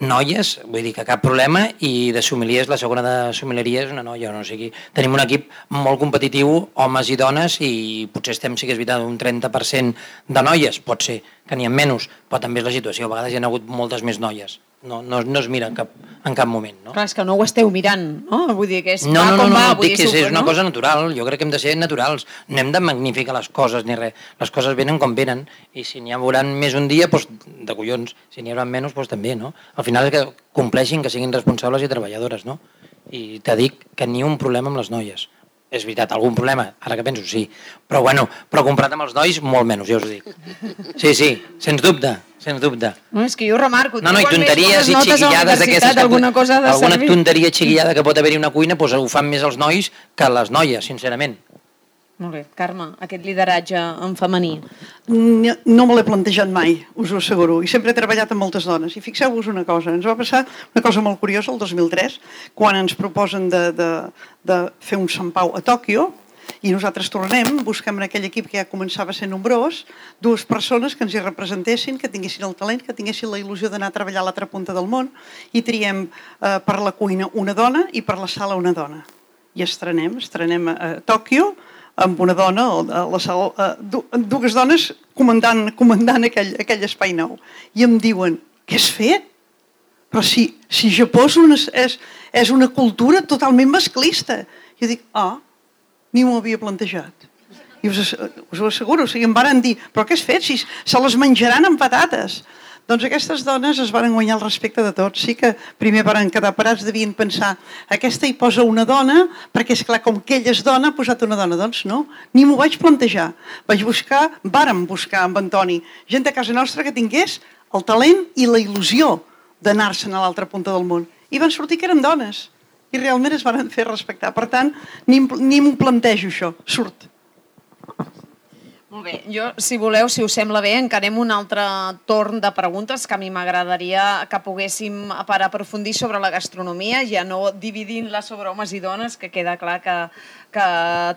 noies, vull dir que cap problema, i de sommeliers, la segona de sommelieria és una noia, o sigui, tenim un equip molt competitiu, homes i dones, i potser estem, sí que és veritat, un 30% de noies, pot ser que n'hi ha menys, però també és la situació, a vegades hi ha hagut moltes més noies, no es mira en cap moment. No? Clar, és que no ho esteu mirant, no? Vull dir que és no, dic que és una cosa natural, jo crec que hem de ser naturals, no hem de magnificar les coses ni res, les coses venen com venen, i si n'hi hauran més un dia, doncs de collons, si n'hi haurà menys, doncs també, no? Al final és que compleixin, que siguin responsables i treballadores, no? I te dic que ni un problema amb les noies. És veritat, algun problema, ara que penso, sí. Però comparat amb els nois, molt menys, ja us ho dic. Sí, sens dubte. No, és que jo remarco... No, i tonteries i xiquillades d'aquestes... Alguna tonteria xiquillada que pot haver-hi una cuina, doncs ho fan més els nois que les noies, sincerament. Molt bé. Carme, aquest lideratge en femení. No me l'he plantejat mai, us ho asseguro, i sempre he treballat amb moltes dones. I fixeu-vos una cosa, ens va passar una cosa molt curiosa el 2003, quan ens proposen de fer un Sant Pau a Tòquio, i nosaltres tornem, busquem en aquell equip que ja començava a ser nombrós, 2 persones que ens hi representessin, que tinguessin el talent, que tinguessin la il·lusió d'anar a treballar a l'altra punta del món, i triem per la cuina una dona i per la sala una dona. I estrenem a Tòquio, amb una dona, a la sala, 2 dones comandant aquell espai nou. I em diuen, què has fet? Però si Japó és una cultura totalment masclista. Jo dic, ni m'ho havia plantejat. I us ho asseguro, em varen dir, però què has fet? Si se les menjaran amb patates. Doncs aquestes dones es van guanyar el respecte de tots. Sí que primer van quedar parats, devien pensar, aquesta hi posa una dona, perquè és clar, com que ella és dona, ha posat una dona. Doncs no, ni m'ho vaig plantejar. Vàrem buscar amb Antoni gent de casa nostra que tingués el talent i la il·lusió d'anar-se'n a l'altra punta del món. I van sortir que eren dones. I realment es van fer respectar. Per tant, ni m'ho plantejo això, surt. Molt bé, jo, si voleu, si us sembla bé, encarem un altre torn de preguntes que a mi m'agradaria que poguéssim per aprofundir sobre la gastronomia, ja no dividint-la sobre homes i dones, que queda clar que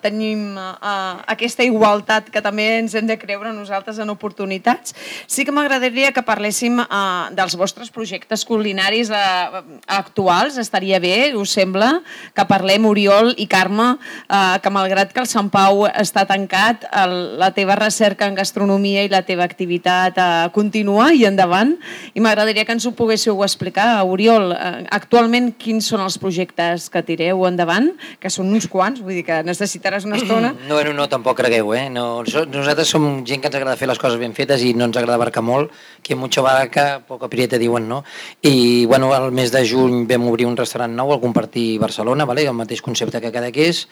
tenim aquesta igualtat que també ens hem de creure nosaltres en oportunitats. Sí que m'agradaria que parléssim dels vostres projectes culinaris actuals, estaria bé, us sembla, que parlem, Oriol i Carme, que malgrat que el Sant Pau està tancat, la teva recerca en gastronomia i la teva activitat continua i endavant, i m'agradaria que ens ho poguéssiu explicar. Oriol, actualment quins són els projectes que tireu endavant, que són uns quants, vull dir que necessitaràs una estona. No, tampoc cregueu, nosaltres som gent que ens agrada fer les coses ben fetes i no ens agrada abarcar molt, que mucho abarca, poco aprieta, diuen, no? I, bueno, al mes de juny vam obrir un restaurant nou al Compartir Barcelona, el mateix concepte que Cadaqués.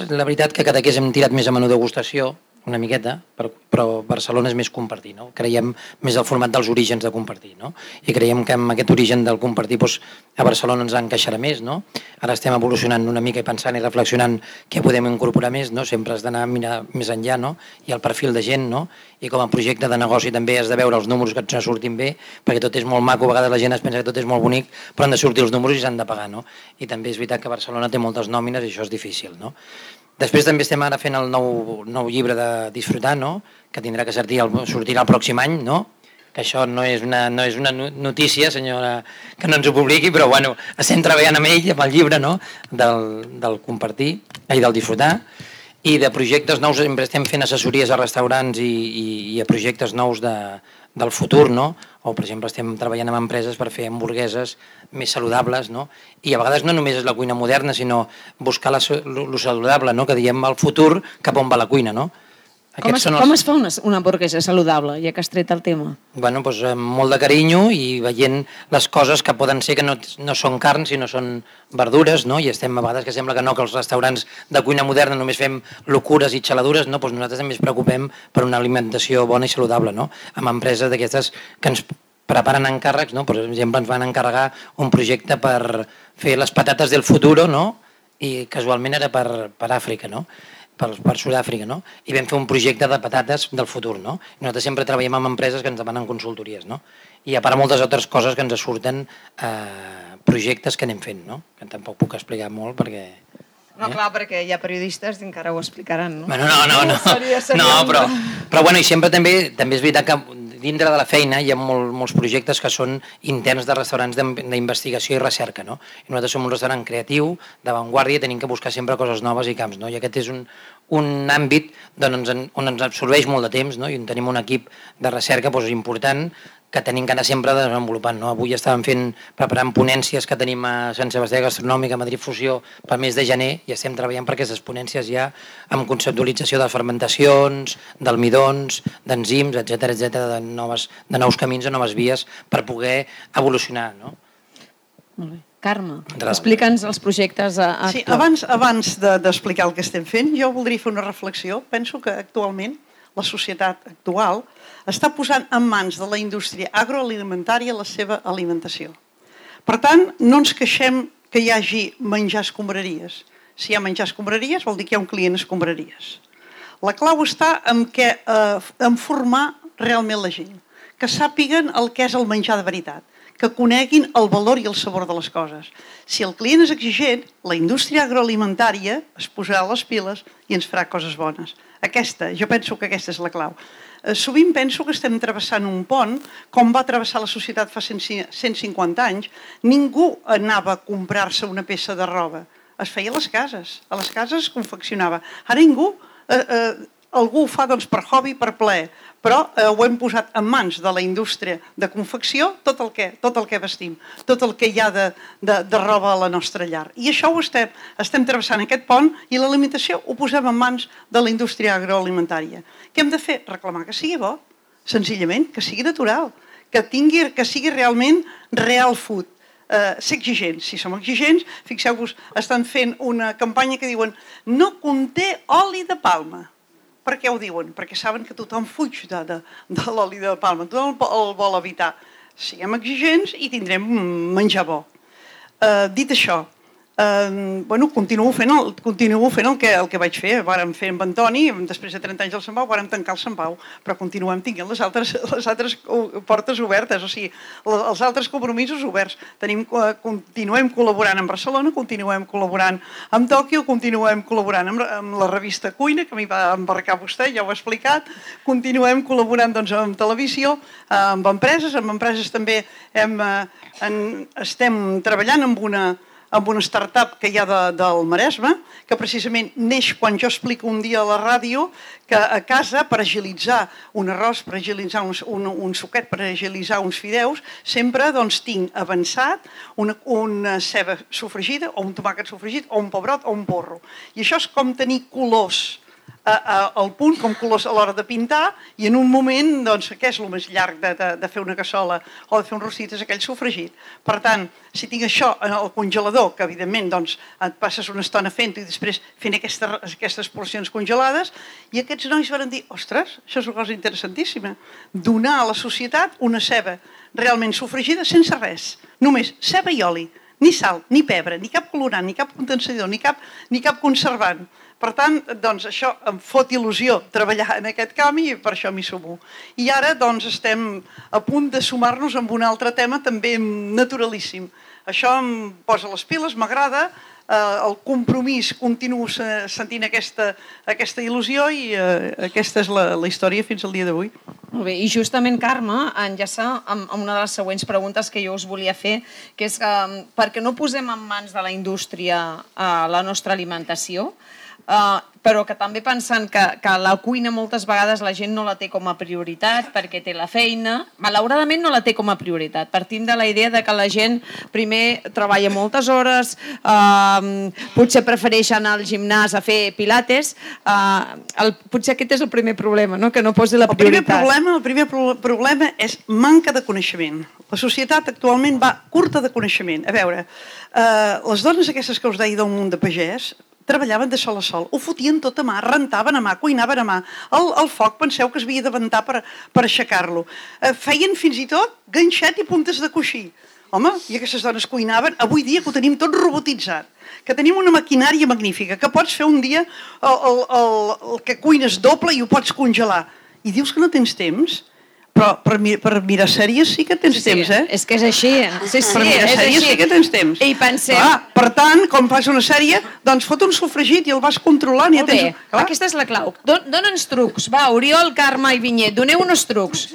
La veritat que Cadaqués hem tirat més a menú degustació, una miqueta, però Barcelona és més compartir, no? Creiem més el format dels orígens de compartir, no? I creiem que amb aquest origen del compartir a Barcelona ens encaixarà més, no? Ara estem evolucionant una mica i pensant i reflexionant què podem incorporar més, no? Sempre has d'anar a mirar més enllà, no? I el perfil de gent, no? I com a projecte de negoci també has de veure els números que et surtin bé, perquè tot és molt maco, a vegades la gent es pensa que tot és molt bonic, però han de sortir els números i s'han de pagar, no? I també és veritat que Barcelona té moltes nòmines i això és difícil, no? Després també estem ara fent el nou llibre de Disfrutar, no? Que tindrà que sortirà el pròxim any, no? Que això no és una notícia, senyora, que no ens ho publiqui, però bueno, estem treballant amb ell, amb el llibre, no? Del Compartir, i del Disfrutar, i de projectes nous, sempre estem fent assessories a restaurants i a projectes nous del futur, no? O, per exemple, estem treballant amb empreses per fer hamburgueses més saludables, no? I a vegades no només és la cuina moderna, sinó buscar lo saludable, no? Que diem el futur cap on va la cuina, no? Com es fa una hamburguesa saludable, ja que has tret el tema? Bueno, doncs amb molt de carinyo i veient les coses que poden ser que no són carn, sinó són verdures, no? I estem a vegades que sembla que no, que els restaurants de cuina moderna només fem locures i xaladures, no? Doncs nosaltres també ens preocupem per una alimentació bona i saludable, no? Amb empreses d'aquestes que ens preparen encàrrecs, no? Per exemple, ens van encarregar un projecte per fer les patates del futuro, no? I casualment era per Àfrica, no? Per Sud-àfrica, no? I vam fer un projecte de patates del futur, no? I nosaltres sempre treballem amb empreses que ens demanen consultories, no? I a part moltes altres coses que ens surten projectes que anem fent, no? Que tampoc puc explicar molt perquè... No, clar, perquè hi ha periodistes que encara ho explicaran, no? Bueno, no, però bueno, i sempre també és veritat que dintre de la feina hi ha molts projectes que són interns de restaurants d'investigació i recerca, no? I nosaltres som un restaurant creatiu, d'avantguàrdia, tenim que buscar sempre coses noves i camps, no? I aquest és un àmbit on ens absorbeix molt de temps, no? I on tenim un equip de recerca important que tenim que anar sempre desenvolupant, no? Avui estàvem preparant ponències que tenim a Sant Sebastià Gastronòmica, a Madrid Fusió, pel mes de gener, i estem treballant per aquestes ponències ja amb conceptualització de fermentacions, d'almidons, d'enzims, etc, de nous camins, de noves vies per poder evolucionar, no? Molt bé. Carme, explica'ns els projectes actuals. Sí, abans d'explicar el que estem fent, jo voldria fer una reflexió. Penso que actualment la societat actual està posant en mans de la indústria agroalimentària la seva alimentació. Per tant, no ens queixem que hi hagi menjar escombraries, Si hi ha menjar escombraries, vol dir que hi ha un client escombraries. La clau està en formar realment la gent, que sàpiguen el que és el menjar de veritat, que coneguin el valor i el sabor de les coses. Si el client és exigent, la indústria agroalimentària es posarà a les piles i ens farà coses bones. Jo penso que aquesta és la clau. Sovint penso que estem travessant un pont, com va travessar la societat fa 150 anys. Ningú anava a comprar-se una peça de roba. Es feia a les cases es confeccionava. Ara algú ho fa per hobby, per plaer, però ho hem posat en mans de la indústria de confecció tot el que vestim, tot el que hi ha de roba a la nostra llar. I això ho estem travessant, aquest pont, i l'alimentació ho posem en mans de la indústria agroalimentària. Què hem de fer? Reclamar que sigui bo, senzillament, que sigui natural, que sigui realment real food. Ser exigents. Si som exigents, fixeu-vos, estan fent una campanya que diuen no conté oli de palma. Per què ho diuen? Perquè saben que tothom fuig de l'oli de palma, tothom el vol evitar. Siguem exigents i tindrem menjar bo. Dit això, continuo fent el que vaig fer. Vàrem fer amb Antoni, després de 30 anys al Sant Pau, vàrem tancar el Sant Pau, però continuem tinguent les altres portes obertes, o sigui, els altres compromisos oberts. Continuem col·laborant amb Barcelona, continuem col·laborant amb Tòquio, continuem col·laborant amb la revista Cuina, que m'hi va embarcar vostè, ja ho he explicat, continuem col·laborant amb televisió, amb empreses també estem treballant amb una startup que hi ha del Maresme, que precisament neix quan jo explico un dia a la ràdio que a casa, per agilitzar un arròs, per agilitzar un suquet, per agilitzar uns fideus, sempre tinc avançat una ceba sofregida, o un tomàquet sofregit, o un pebrot, o un porro. I això és com tenir colors al punt, com colors a l'hora de pintar, i en un moment, què és el més llarg de fer una cassola o de fer un rostit, és aquell sofregit. Per tant, si tinc això al congelador, que evidentment et passes una estona fent-ho i després fent aquestes porcions congelades, i aquests nois van dir, ostres, això és una cosa interessantíssima, donar a la societat una ceba realment sofregida sense res, només ceba i oli, ni sal, ni pebre, ni cap colorant, ni cap condensador, ni cap conservant. Per tant, això em fot il·lusió treballar en aquest camp i per això m'hi sumo. I ara estem a punt de sumar-nos amb un altre tema també naturalíssim. Això em posa les piles, m'agrada, el compromís, continuo sentint aquesta il·lusió i aquesta és la història fins al dia d'avui. Molt bé, i justament, Carme, enllaça amb una de les següents preguntes que jo us volia fer, que és per què no posem en mans de la indústria la nostra alimentació, però que també pensant que la cuina moltes vegades la gent no la té com a prioritat perquè té la feina, malauradament no la té com a prioritat. Partim de la idea de que la gent primer treballa moltes hores, potser prefereix anar al gimnàs a fer pilates, potser aquest és el primer problema, que no posi la prioritat. El primer problema és manca de coneixement. La societat actualment va curta de coneixement. A veure, les dones aquestes que us deia del món de pagès treballaven de sol a sol, ho fotien tot a mà, rentaven a mà, cuinaven a mà. El foc penseu que es havia de ventar per aixecar-lo. Feien fins i tot ganxet i puntes de coixí. Home, i aquestes dones cuinaven, avui dia que ho tenim tot robotitzat, que tenim una maquinària magnífica, que pots fer un dia el que cuines doble i ho pots congelar. I dius que no tens temps? Però per mirar sèries sí que tens temps, eh? És que és així. Per mirar sèries sí que tens temps. I pensem... Per tant, quan fas una sèrie, fot un sofregit i el vas controlant. Molt bé, aquesta és la clau. Dóna'ns trucs. Va, Oriol, Carme i Vinyet, doneu uns trucs.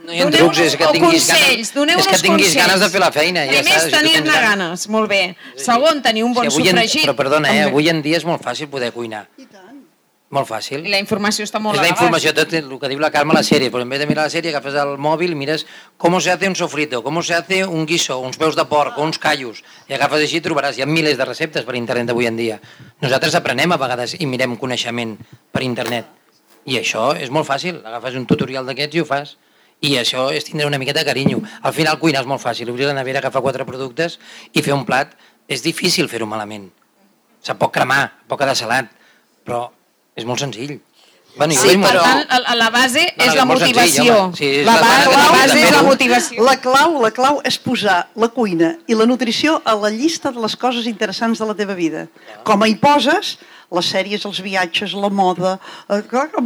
No hi ha trucs, és que tinguis ganes de fer la feina. Primer és tenir-ne ganes, molt bé. Segon, tenir un bon sofregit. Però perdona, avui en dia és molt fàcil poder cuinar. Molt fàcil. I la informació està molt a l'abast. És la informació, tot el que diu la Carme a la sèrie, però en vez de mirar la sèrie agafes el mòbil i mires com se hace un sofrito, com se hace un guiso, uns peus de porc, uns callos, i agafes així i trobaràs, hi ha milers de receptes per internet avui en dia. Nosaltres aprenem a vegades i mirem coneixement per internet, i això és molt fàcil, agafes un tutorial d'aquests i ho fas, i això és tindre una miqueta de carinyo. Al final cuinar és molt fàcil, obrir la nevera, agafar 4 productes i fer un plat, és difícil fer-ho malament. Se pot cremar, pot quedar salat, però és molt senzill. Sí, Per però... tant, la base és la molt senzill, motivació. home. Sí, és La la base base és la de motivació. La clau és posar la cuina i la nutrició a la llista de les coses interessants de la teva vida. Com hi poses les sèries, els viatges, la moda,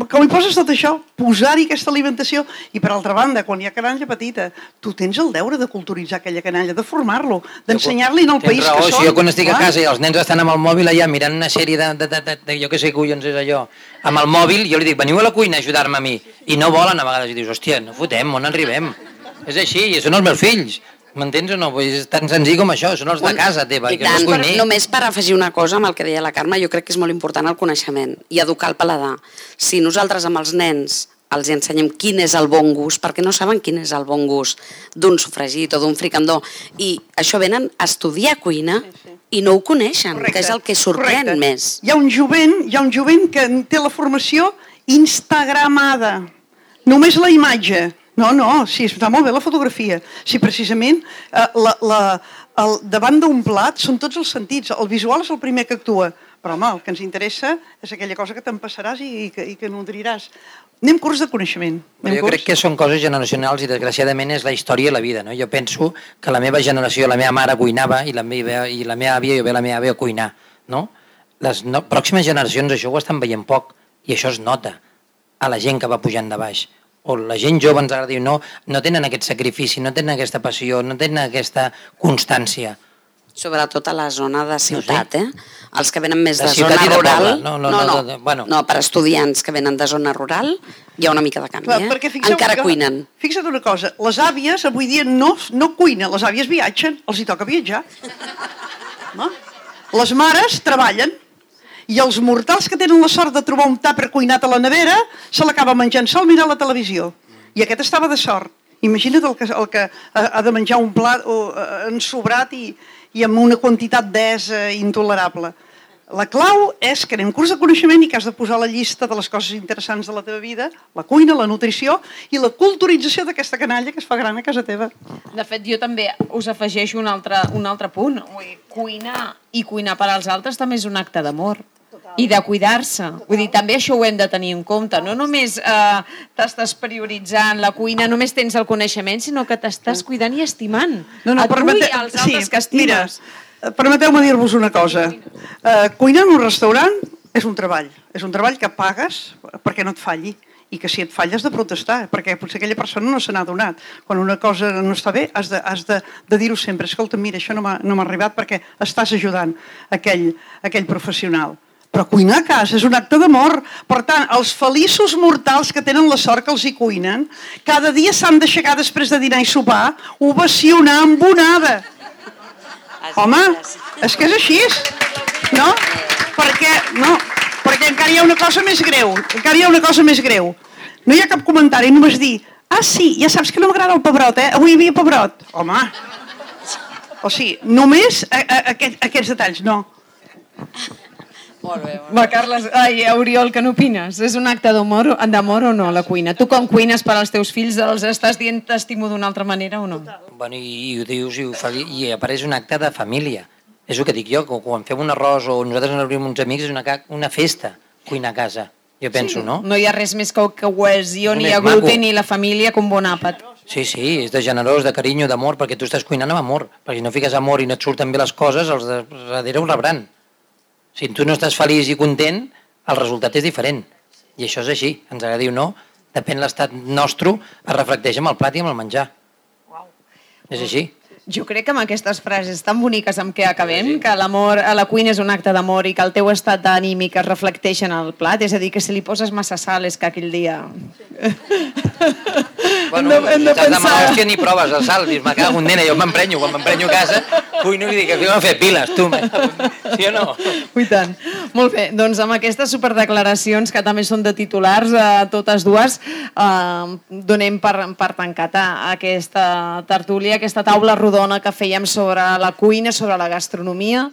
com hi poses tot això, posar-hi aquesta alimentació. I per altra banda, quan hi ha canalla petita, tu tens el deure de culturitzar aquella canalla, de formar-lo, d'ensenyar-li en el país que són. Si jo quan estic a casa i els nens estan amb el mòbil allà mirant una sèrie de jo que sé collons és allò, amb el mòbil, jo li dic, veniu a la cuina a ajudar-me a mi. I no volen a vegades, i dius, hòstia, no fotem, on arribem? És així, són els meus fills. M'entens o no? És tan senzill com això, són els de casa teva. I tant, només per afegir una cosa amb el que deia la Carme, jo crec que és molt important el coneixement i educar el paladar. Si nosaltres amb els nens els ensenyem quin és el bon gust, perquè no saben quin és el bon gust d'un sofregit o d'un fricandó, i això venen a estudiar cuina i no ho coneixen, que és el que sorprèn més. Hi ha un jovent que té la formació instagramada, només la imatge. No, sí, està molt bé la fotografia. Sí, precisament, davant d'un plat són tots els sentits. El visual és el primer que actua. Però, home, el que ens interessa és aquella cosa que t'empassaràs i que nodriràs. Anem curs de coneixement. Jo crec que són coses generacionals i, desgraciadament, és la història i la vida. No? Jo penso que la meva generació, la meva mare cuinava i la meva àvia, jo ve la meva àvia a cuinar. No? Les pròximes generacions això ho estan veient poc i això es nota a la gent que va pujant de baix. O la gent jove ens agrada dir no tenen aquest sacrifici, no tenen aquesta passió, no tenen aquesta constància. Sobretot a la zona de ciutat, Els que venen més de ciutat zona i de rural... poble. No, per estudiants que venen de zona rural hi ha una mica de canvi, Encara cuinen. Fixa't una cosa, les àvies avui dia no cuinen, les àvies viatgen, els hi toca viatjar. No? Les mares treballen, i els mortals que tenen la sort de trobar un tàper cuinat a la nevera se l'acaba menjant sol mirant la televisió. I aquest estava de sort. Imagina't el que ha de menjar un plat ensobrat i amb una quantitat intolerable. La clau és que anem curs de coneixement i que has de posar la llista de les coses interessants de la teva vida, la cuina, la nutrició i la culturització d'aquesta canalla que es fa gran a casa teva. De fet, jo també us afegeixo un altre punt. Cuinar i cuinar per als altres també és un acte d'amor. I de cuidar-se. Vull dir, també això ho hem de tenir en compte. No només t'estàs prioritzant la cuina, només tens el coneixement, sinó que t'estàs cuidant i estimant. A tu i als altres que estimes. Mira, permeteu-me dir-vos una cosa. Cuinar en un restaurant és un treball. És un treball que pagues perquè no et falli. I que si et falla has de protestar, perquè potser aquella persona no se n'ha adonat. Quan una cosa no està bé, has de dir-ho sempre. Escolta, mira, això no m'ha arribat perquè estàs ajudant aquell professional. Però cuinar a casa és un acte d'amor. Per tant, els feliços mortals que tenen la sort que els hi cuinen, cada dia s'han d'aixecar després de dinar i sopar, ovacionar amb onada. Home, és que és així. No? Perquè encara hi ha una cosa més greu. No hi ha cap comentari, només dir, sí, ja saps que no m'agrada el pebrot, avui hi havia pebrot. Home, o sigui, només aquests detalls, no. Molt bé. Va, Carles, Oriol, què n'opines? És un acte d'amor o no, la cuina? Tu com cuines per als teus fills, els estàs dient t'estimo d'una altra manera o no? Bueno, i ho dius i apareix un acte de família. És el que dic jo, quan fem un arròs o nosaltres ens obrim uns amics, és una festa cuinar a casa, jo penso, no? No hi ha res més que cohesió, ni gluten, ni la família com bon àpat. Sí, és de generós, de carinyo, d'amor, perquè tu estàs cuinant amb amor. Perquè si no fiques amor i no et surten bé les coses, els de darrere ho rebran. Si tu no estàs feliç i content, el resultat és diferent. I això és així, ens agradi o no, depèn l'estat nostre, es reflecteix amb el plat i amb el menjar. És així. Jo crec que amb aquestes frases tan boniques amb què acabem, que l'amor a la cuina és un acte d'amor i que el teu estat d'ànimic es reflecteix en el plat, és a dir, que si li poses massa sal és que aquell dia... Bueno, si t'has de mala hòstia ni proves el sal, dius, me cago en nena, jo m'emprenyo, quan m'emprenyo a casa, cuino i dic, que m'he fet piles, tu, sí o no? I tant. Molt bé, doncs amb aquestes superdeclaracions, que també són de titulars, totes dues, donem per tancada aquesta tertúlia, aquesta taula rodona que fèiem sobre la cuina, sobre la gastronomia